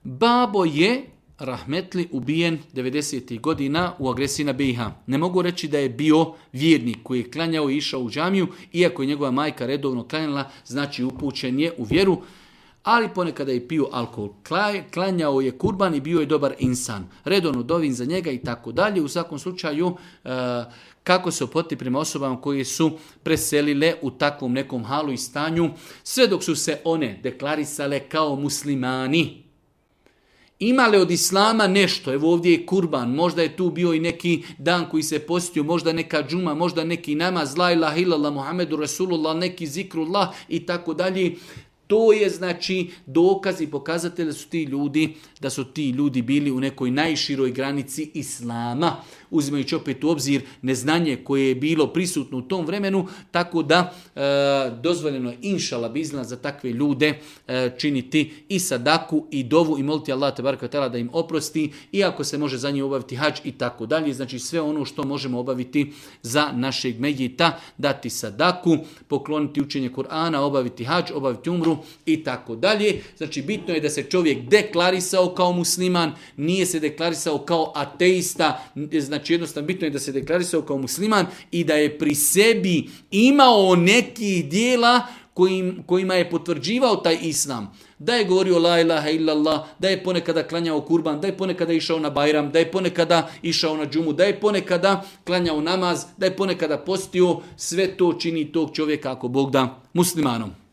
Babo je rahmetli ubijen 90. godina u agresiji na BiH. Ne mogu reći da je bio vjernik koji je klanjao i išao u džamiju, iako je njegova majka redovno klanjala, znači upućen je u vjeru, ali ponekada je pio alkohol. Klanjao je kurban i bio je dobar insan. Redovno dovin za njega i tako dalje. U svakom slučaju, kako se ophoditi prema osobama koje su preselile u takvom nekom halu i stanju, sve dok su se one deklarisale kao muslimani. Imale od islama nešto, evo ovdje je kurban, možda je tu bio i neki dan koji se postio, možda neka džuma, možda neki namaz, la ilaha illallah, Muhammedu Rasulullah, neki zikrullah i tako dalje. To je znači dokaz i pokazatelj da su ti ljudi bili u nekoj najširoj granici islama, uzimajući opet u obzir neznanje koje je bilo prisutno u tom vremenu, tako da dozvoljeno je inšala bizna za takve ljude činiti i sadaku i dovu i moliti Allah tebareka ve teala da im oprosti, iako se može za njih obaviti hadž i tako dalje. Znači sve ono što možemo obaviti za našeg mejita, dati sadaku, pokloniti učenje Kur'ana, obaviti hadž, obaviti umru i tako dalje. Znači bitno je da se čovjek deklarisao kao musliman, nije se deklarisao kao ateista, znači jednostavno bitno je da se deklarisao kao musliman i da je pri sebi imao nekih dijela kojima je potvrđivao taj islam. Da je govorio la ilaha illallah, da je ponekada klanjao kurban, da je ponekada išao na bajram, da je ponekada išao na džumu, da je ponekada klanjao namaz, da je ponekada postio, sve to čini tog čovjeka ako Bog da muslimanom.